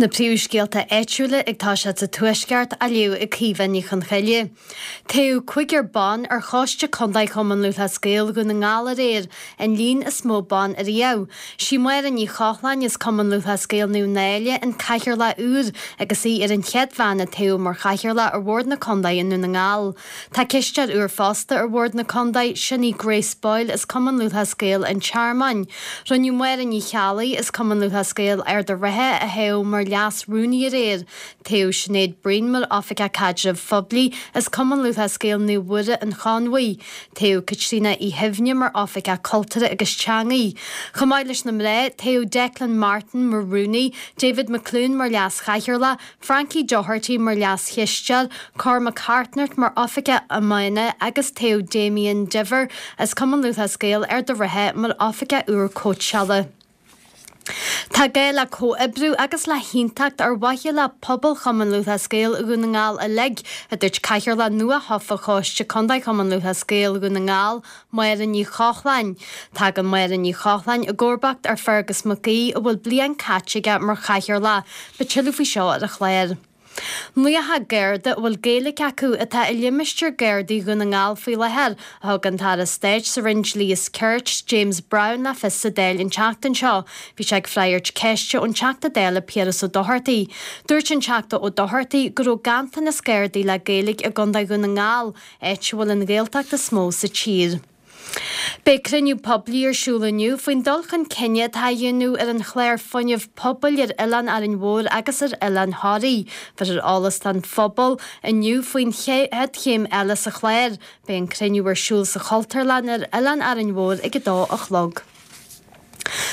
Na príomhscéalta áitiúla ag toiseacht sa Tuaisceart á léamh ag Caoimhe Ní Chonchoille. Toghadh cúigear ban ar Choiste Contae Chumann Lúthchleas Gael Dhún na nGall aréir, an líon is mó ban ariamh. Sí Máire Ní Chochláin as Cumann Lúthchleas Gael Naomh Náille an Cathaoirleach úr agus í ar an chéad bhean a toghadh mar Chathaoirleach ar Bhord na Contae i nDún na nGall. Tá cisteoir úr fosta ar Bhord na Contae, sin í Grace Boyle as Cumann Lúthchleas Gael an Tearmainn. Rinneadh Máire Ní Cheallaigh as Cumann Lúthchleas Gael Ard a' Rátha a thoghadh mar Leas Rúnaí aréir. Toghadh Sinéad Breen mar Oifigeach Caidrimh Phoiblí as Cumann Lúthchleas Gael Naomh Mhuire an Chonmhaigh. Toghadh Caitríona Uí Shuibhne mar Oifigeach Cultúrtha agus Teangaí. Chomh maith leis na mná, toghadh Declan Martin mar Rúnaí, David McCloone mar Leas-Chathaoirleach, Frankie Doherty mar Leas-Chisteoir, Cormac Hartnett mar Oifigeach Iomána agus toghadh Damien Diver as Cumann Lúthchleas Gael Ard a' Rátha mar Oifigeach úr Cóitseála. Tá gá le comhoibriú agus le haontacht ar mhaithe le pobal Chumann Lúthchleas Gael Dhún na nGall uilig, a dúirt Cathaoirleach nua-thofa Choiste Contae Chumann Lúthchleas Gael Dhún na nGall, Máire Ní Chochláin. Tagann Máire Ní Chochláin i gcomharbacht ar Fergus Mac Aoidh a bhfuil bliain caite aige mar chathaoirleach. Beidh tuilleadh faoi seo ar an chlár. 90 Garda a bhfuil Gaeilge acu atá i limistéar Gardaí Dhún na nGall faoi láthair, a thug an tAire Stáit sa Roinn Dlí is Cirt, James Browne le fios sa Dáil an tseachtain seo. Bhí sé ag freagairt ceiste ón Teachta Dála Piaras Ó Dochartaigh. Dúirt an Teachta Ó Dochartaigh go raibh ganntanas Gardaí le Gaeilge i gContae Dhún na nGall, áit a bhfuil an Ghaeltacht is mó sa tír. Beidh cruinniú poiblí ar siúl inniu faoin dul chun cinn atá á dhéanamh ar an chlár fuinnimh pobail ar Oileán Árainn Mhór agus ar Oileán Thoraí. Bhéarfar eolas don phobal inniu faoin chéad chéim eile sa chlár. Beidh an cruinniú ar siúl sa Chultúrlann ar Oileán Árainn Mhór ag 2 a chlog.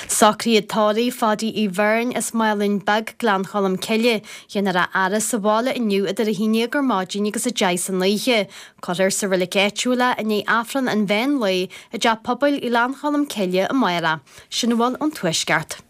Socruithe tórraimh Pháidí Uí Bheirn as Málainn Beag, Gleann Cholm Cille. Déanfar a fhaire sa bhaile inniu idir 11 ar maidin agus 10 san oíche. Cuirfear sa reilig áitiúil é i ndiaidh Aifreann an mheán lae i dTeach Pobail Ghleann Cholm Cille amárach. Sin a bhfuil ón Tuaisceart.